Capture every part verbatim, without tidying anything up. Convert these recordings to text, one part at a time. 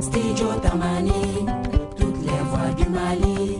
Studio Tamani, toutes les voix du Mali.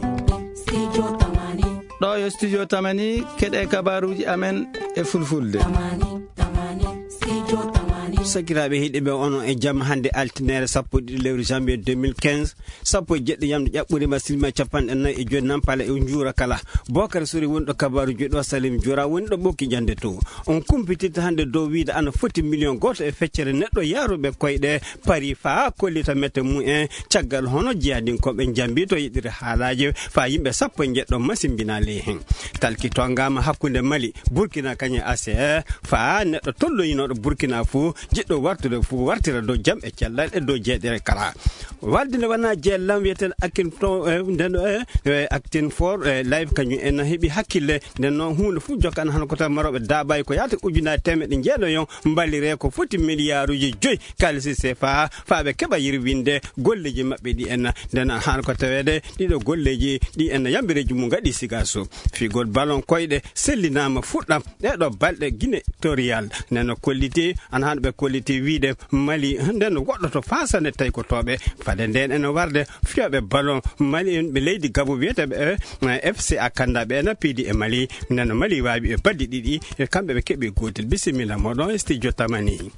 Studio Tamani. Ɗo yo Studio Tamani, keɗe kabaruuji amen e fulfulde. Tamani, Tamani, Studio Tamani. Sakiraaɓe heɗiɓe, onon e jam hannde altine sappo e ɗiɗi lewru janvier deux mille quinze, sappo e jeɗɗi yamde ƴaɓɓude ma silma capanɗe nayi e joyi nampale e njuura kala. Bokar Sori woni ɗo kabaruuji ɗo, Salim Jura woni ɗo ɓokki jande to. On kumpitirta hannde dow wiide ana foti million gooto e feccere neɗɗo yaaruɓe koyɗe Paris faa kollita mette mum en, caggal hono jihadinkooɓe njambi to yeɗire haalaaji faa yimɓe sappo e njeɗɗo masimbinaa ley hen. Talki tongaama hakkunde Mali, Burkina kañum e A C R, faa neɗɗo tolloyinooɗo Burkina fof, jiɗɗo wartude fof, wartira dow jam e cellal e dow jeeɗere kala. Walde nde wonaa jeellam wiyeten Akin to, eh, nden, eh, eh, Acting for, eh, Life kañum en heɓi hakkille. Nden noon huunde fof jokkan hano ko tawi marooɓe daabaay ko yaata ujunaaji teemeɗɗe jeeɗayon mballiree ko foti miliyaaruuji joyi kaalisi C F A faa ɓe keɓa yirwinde golleeji maɓɓe ɗi en. Nden hano ko taweede ɗiɗo golleeji ɗi en yambireeji mum ngaɗi sigaso. Figol balon koyɗe sellinaama fuɗɗam ɗeɗo balɗe Guinée Torial. Nden no kolliti, ana hano ɓe kolliti wiide Mali nden no woɗɗoto faa sanne taykotooɓe. Fade nden ene warde fiyooɓe ballon Mali en ɓe leydi Gabo wiyeteeɓe, eh, F C A Kanda ɓe ena piidi e Mali. Nden no Mali waawi e baddi ɗiɗi, e kamɓe ɓe keɓi gootel. Bisimilla moɗon e studio Tamani.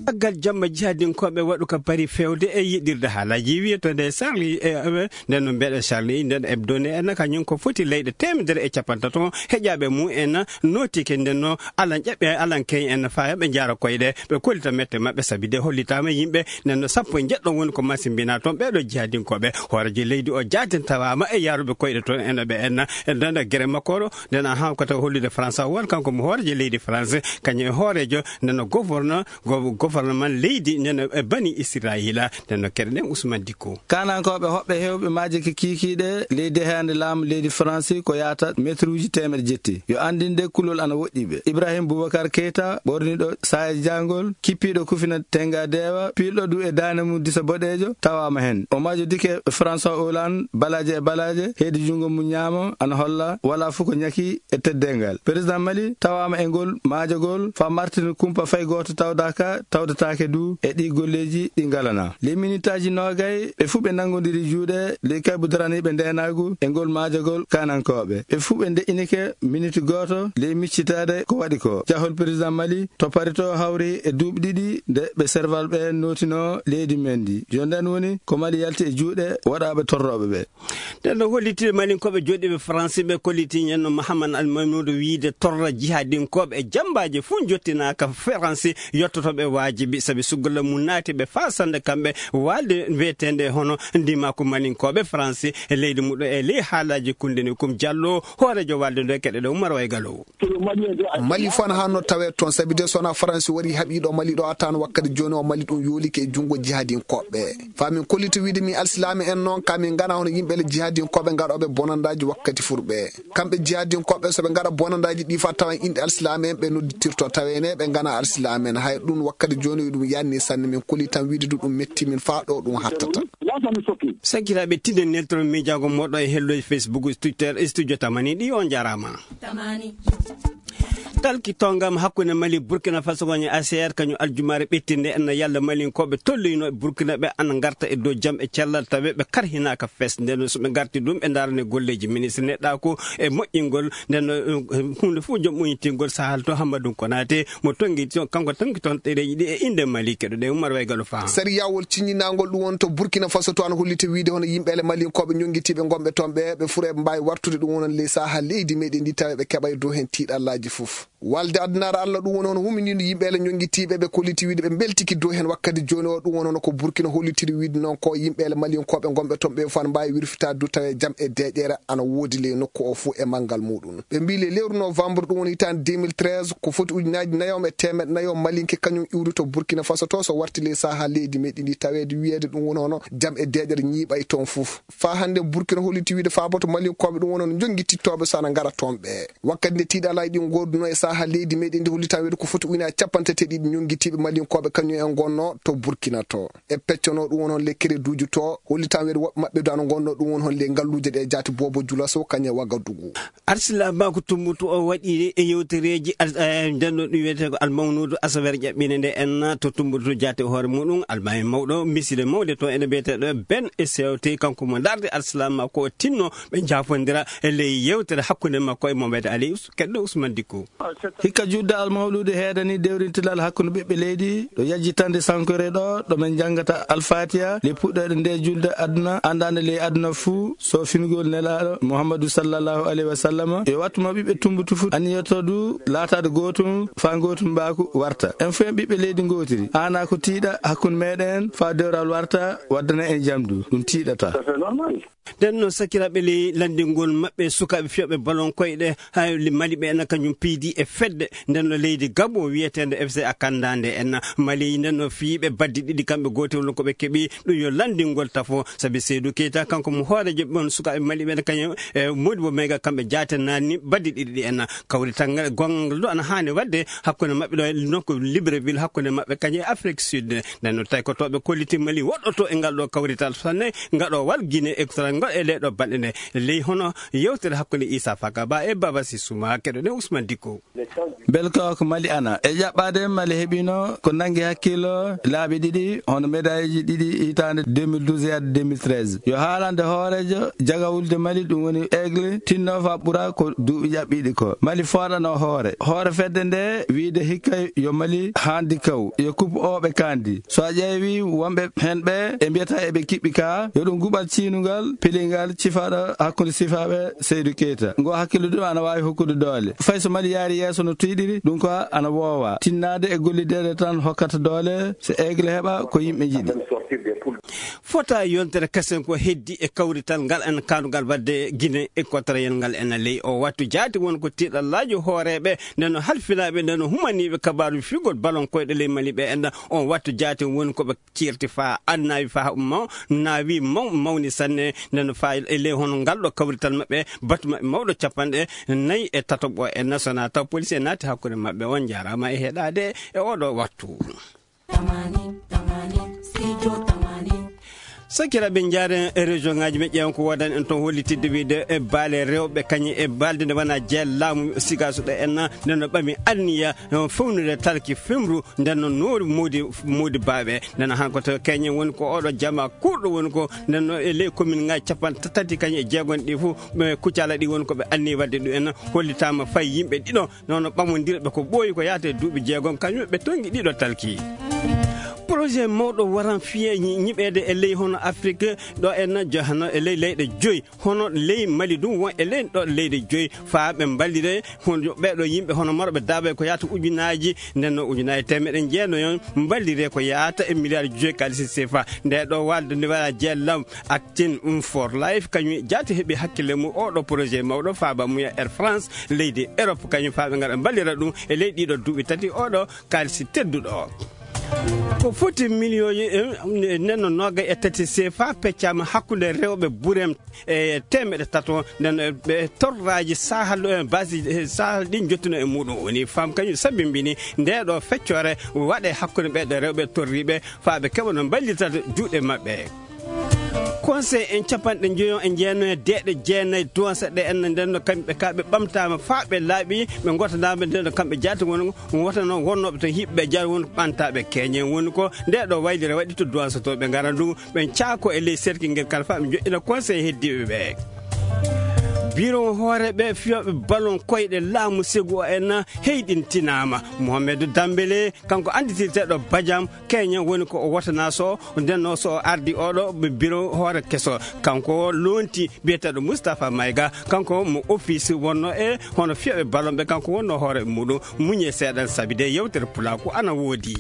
Caggal jamma jihadinkooɓe waɗu ka Paris fewde e yiɗirde haalaaji wiyeteende Charlie, e, e, nden no mbeɗa Charlie, nden hebdo ne en kañum ko foti leyɗe teemedere e capantato heƴaaɓe mum en nootike nden no alan ƴaɓɓe alan keñ en faa ɓe njaara koyɗe, ɓe kollita mette maɓɓe sabi de hollitaama yimɓe nden no sappo e njeɗɗo woni ko masimbinaa toon ɓeeɗo jihadinkooɓe. Hooreejo leydi o jaatin tawaama e yaaruɓe koyɗe toon en ɓe en, nden no gere makko o, nden a han ko taw hollude France o won kanko mo hooreejo leydi France, kañum e hooreejo nden no gouverneur go-, gouvernement leydi nden e bani Israila, nden no keɗe ɗen Ousmane Dicko. Kanankooɓe hoɓɓe heewɓe maaje ko kiikiiɗe leydi heende laamu leydi Faransi ko yaata meetruuji teemeɗe jetti. Yo anndinde kulol ana woɗɗi ɓe. Ibrahim Boubacar Keita, ɓorniiɗo saaya jaangol, kippiiɗo kufina tenga deewa, piilɗo du e daande mum disa boɗeejo, tawaama heen. O maajodike François Hollande, balaaje e balaaje, heedi junngo mum ñaamo, ana holla, walaa fof ko ñaki e teddeengal. Président Mali tawaama e ngol maajagol, faa martin kumpa fay gooto tawdaaka, tawdataake du e ɗii golleeji ɗi ngalanaa. Ley minitaaji noogay, ɓe fuu ɓe nanngodiri juuɗe, ley kaybu daraniiɓe ndeenaagu e ngol maajagol kaanankooɓe. Ɓe fuu ɓe ndeƴƴinike miniti gooto ley miccitaade ko waɗi ko. Jahol président Mali to Paris to hawri e duuɓi ɗiɗi nde ɓe serval ɓe nootinoo leydi men ndi. Yo ndeen woni ko Mali yalti e juuɗe waɗaaɓe torrooɓe ɓe. Nden no holliti Malinkooɓe jooɗiiɓe Faransi ɓe kolliti ñen no Mahaman Al Maymuudu wiide torra jihadinkooɓe e jammbaaji fof njottinaaka Faransi yottotooɓe waajibi sabi suggola mum naati ɓe faa sannde kamɓe walde wiyeteende hono ndimaku Malinkooɓe Faransi e leydi muɗo e ley haalaaji kundini kum jallo hooreejo walde ndo e keɗe ɗo Umar Waygalo. Mali fof ana haanno tawee toon, sabi de so wonaa Faransi warii haɓii ɗo Mali ɗo, a tawan wakkati jooni o Mali ɗum yoolike e junngo jihadinkooɓe. Faa min kollita wiide min alsilaame en noon, ka min nganaa hono yimɓe le jihadinkooɓe ngaɗooɓe bonandaaji wakkati furɓe. Kamɓe jihadinkooɓe so ɓe ngaɗa bonandaaji ɗi faa tawa inɗe alsilaame en ɓe nodditirto, tawee ne ɓe nganaa alsilaame en. Hay ɗum wakkati jooni ɗum yaanni sanne, min kolli tan wiide du ɗum metti min faa ɗo ɗum hattata. Sakiraaɓe, tinde neltoron miijaago moɗo e helloji Facebook, Twitter, e studio Tamani ɗi, on njaaraama. Tamani. Talki tongam hakkunde Mali, Burkina Faso woni A C R, kañum aljumaare ɓettinde en no yalla Malinkooɓe tolloyinooɓe Burkina ɓe ana ngarta e dow jam e cellal tawe ɓe karhinaaka fes. Nden so ɓe ngarti ɗum ɓe ndarane golleeji ministre neɗɗaaku e moƴƴingol nden no, eh, huunde fof jom ɓoyintingol sahal to Hammadou Konaté mo tongi to, kanko tongi toon ɗereeji ɗi e innde Mali keɗoɗen Umar Waygalo Faha. Sariyawol ciññinaangol ɗum won to Burkina Faso to ana holliti wiide hono yimɓe ele Malinkooɓe ñonngitiiɓe ngonɓe toon ɓe, ɓe fuu eɓe mbaawi wartude ɗum wonon ley saha leydi meɗen ndi tawa ɓe keɓa e dow heen tiiɗallaaji fof. Walde addunaare Allah ɗum woni hono huminiinde yimɓe ele ñonngitiiɓe ɓe kolliti wiide ɓe mbeltiki dow heen wakkati jooni o ɗum woni hono ko Burkina hollitiri wiide noon ko yimɓe ele Malinkooɓe ngonɓe toon ɓe fof ana mbaawi wirfitaade du tawa jam e deeƴere ana woodi ley nokku o fof e manngal muɗum. Ɓe mbii le lewru novembre ɗum woni hitaande deux mille treize ko foti ujunaaji nayo e teemeɗɗe nayo Malinke kañum iwri to Burkina Faso to so warti ley saha leydi meɗi ndi taweede wiyeede ɗum woni hono jam e deeƴere ñiiɓay toon fof. Faa hannde Burkina holliti wiide faaboto Malinkooɓe ɗum woni hono jonngitittooɓe so ana ngara toon ɓe. Wakkati nde tiiɗalaaji ɗin ngooduno e saha Haa leydi meɗen ndi hollitaa weedu ko foti ujunaaji capanɗe tati e ɗiɗi ñonngitiiɓe Malinkooɓe kañum en ngonnoo to Burkina to. E peccono ɗum won hon le kereduuji to, hollitaa weedu woɓɓe maɓɓe du ana ngonnoo ɗum won hon le ngalluuje ɗe jaati Boobo Julaso kañum e Wagadugu. Arsilaama ko Tumbutu o waɗi e yewtereeji al-, eh, nden ɗo ɗum wiyetee ko Almawnuudu Asaweere ƴaɓɓiinde nde en to Tumbutu jaati hoore muɗum, almaami mawɗo, miside mawde to ene biyeteeɗo Ben e Sewte, kanko mo ndaarde Arsilaama ko o tinno ɓe njaafondira e ley yewtere hakkunde makko e Mohamed Ali Us-, keɗɗo Usman Dikko. Hikka juulde almawluudu heedani dewrintilal hakkunde ɓiɓɓe leydi, ɗo yajjitande sankore ɗo, ɗo men njanngata Alfaatiya, le puɗɗoɗe nde juulde aduna, anndaande ley aduna fuu, so fingol Nelaaɗo Muhammadu sallallahu alaihi wa sallam. Yo wattu mo ɓiɓɓe Tumbutu fuu anniyoto du laataade gootum, faa gootum mbaaku warta. En fuu en ɓiɓɓe leydi ngootiri. Haanaa ko tiiɗa hakkunde meɗen, faa dewral warta, waddana en jam du. Ɗum tiiɗata. Nden noon, sakiraaɓe, ley lanndingol maɓɓe sukaaɓe fiyooɓe ballon koyɗe, hay li-, Mali ɓe ena kañum piidi e fedde nden no leydi Gabo wiyeteende F C A Kanda nde en Mali. Nden no fiyiiɓe baddi ɗiɗi kamɓe gootel woni ko ɓe keɓi ɗum yo lanndingol tafo, sabi Seydou Keita kanko mo hooreejo ɓen sukaaɓe Mali ɓen kañum e Modibo Mega kamɓe jaate naanni baddi ɗiɗi ɗi en. Kawrital ngal gongal ɗo ana haani waɗde hakkunde maɓɓe ɗo e nokku Libreville hakkunde maɓɓe kañum e Afrique Sud. Nden no tawi ko to ɓe kolliti Mali woɗɗoto e ngal ɗo kawrital sanne ngaɗo wal Guinée Équatoriale ngol e ley ɗo balɗe nde. Ley hono yewtere hakkunde Issa Faka Ba e Baba Sissuma keɗoɗen Ousmane Dicko. Belka ko Mali ana e ƴaɓɓaade Mali heɓino ko nangi hakkillo laabi ɗiɗi hono médaille ji ɗiɗi hitaande deux mille douze yaade deux mille treize. Yo haalande hooreejo jagawulde Mali ɗum woni Aigle tinno fa ɓura ko duuɓi ƴaɓɓiiɗi ko. Mali fooɗano hoore. Hoore fedde nde wiide hikka yo Mali haandi kaw. Yo kup o ɓe kandi. So a ƴeewi wonɓe hen ɓe e mbiyata eɓe kiɓɓi ka yo ɗum guɓal ciinungal pilingal cifaɗo hakkunde sifaaɓe Seydou Keita. Ngo hakkillo ɗum ana waawi hokkude doole. Fay so Mali yaari yeeso no tuyɗiri, ɗum ko ana woowa. Tinnaade e gollideede tan hokkata doole, so Aigle heɓa ko yimɓe njiɗi. Fota yontere kasen ko heddi e kawrital ngal en kaandugal wadde Guinée Équatoriale ngal en ley o wattu jaati won ko tiiɗallaaji hooreeɓe, nden no halfinaaɓe, nden no humaniiɓe kabaaru figol ballon koyɗe ley Mali ɓe en on wattu jaati won ko ɓe cirti fa annaawi fa maw-, naawi maw-, mawni sanne, nden no fa e ley hono ngal ɗo kawrital maɓɓe, batu maɓɓe mawɗo capanɗe nayi e tataɓo e national taw police e naati hakkunde maɓɓe. On njaaraama e heɗaade e oɗo wattu. Tamani, tamani, studio tamani. Sakiraaɓe, njaaren e région ŋaaji men, ƴeewen ko woodani en toon hollitidde wiide e baale rewɓe kañum e baalde nde wona jeel laamu Sigaso ɗo en, nden no ɓami anniya, eh, fewnude talki femru, nden no noori mawdi, mawdi baaɓe. Nden no han ko to keñen woni ko oɗo jama kurɗo woni ko, nden no e ley commune ŋaaji capanɗe tati kañum e jeegon ɗi fof, ɓe kucala ɗi woni ko ɓe anni wadde ɗum en, hollitaama fay yimɓe ɗiɗo, nono ɓamondirɓe ko ɓooyi ko yaata e duuɓi jeegom, kañum ɓe tongi ɗiɗo talki. Projet mawɗo waran fiye ñi-, ñiɓeede e ley hono Afrique, ɗo en jahano e ley leyɗe joyi, hono ley Mali ɗum won e ley ɗo leyɗe joyi, faa ɓe mballire hono ɓeeɗo yimɓe hono marɓe daaɓe ko yaata ujunaaji, nden no ujunaaji teemeɗe jeenayon mballire ko yaata e milliard joyi kaalisi sefa. Nde ɗo walde nde wara jeellam, Acting for Life, kañum jaati heɓi hakkille mum oɗo projet mawɗo faaba mum e Air France, leydi Europe, kañum faaɓe ngara mballira ɗum e ley ɗiɗo duuɓi tati oɗo kaalisi tedduɗo. Ko foti miliyonji, eh, nden no noga e tati sefa peccaama hakkunde rewɓe burem e teemeɗe tato, nden ɓe torraaji sahal, eh, basi, eh, sahal ɗin jottuno e muɗum. Woni fam kañum sabimbini nde ɗo feccore waɗe hakkunde ɓe ɗo rewɓe torriɓe faa ɓe keɓa no mballitata juuɗe maɓɓe. Conseil en capanɗe njoyo e jeenayo e deeɗe jeenayi duwansa ɗe en nden no kamɓe ka ɓe ɓamtaama faa ɓe laaɓi, ɓe ngootanaama nden no kamɓe jaati won wotano wonnooɓe to hiɓɓe jaati won ɓantaaɓe keñen woni ko nde ɗo waylire waɗi to duwansa to ɓe ngara ndu ɓen caako e ley serki ngel kala faa ɓe joɗɗina conseil heddiiɓe ɓe. Biro hooreeɓe fiyooɓe ballon koyɗe laamu segu o en heyɗintinaama. Mohamed Dambele, kanko annditirteeɗo Badiam, Keña woni ko o wotana so, nden no so o ardi oɗo biro hoore keso. Kanko o lonti biyeteeɗo Moustapha Maïga, kanko mo office wonno e hono fiyooɓe ballon ɓe, kanko wonno hoore muɗum. Muñe seeɗan sabi de yewtere pulaaku ana woodi.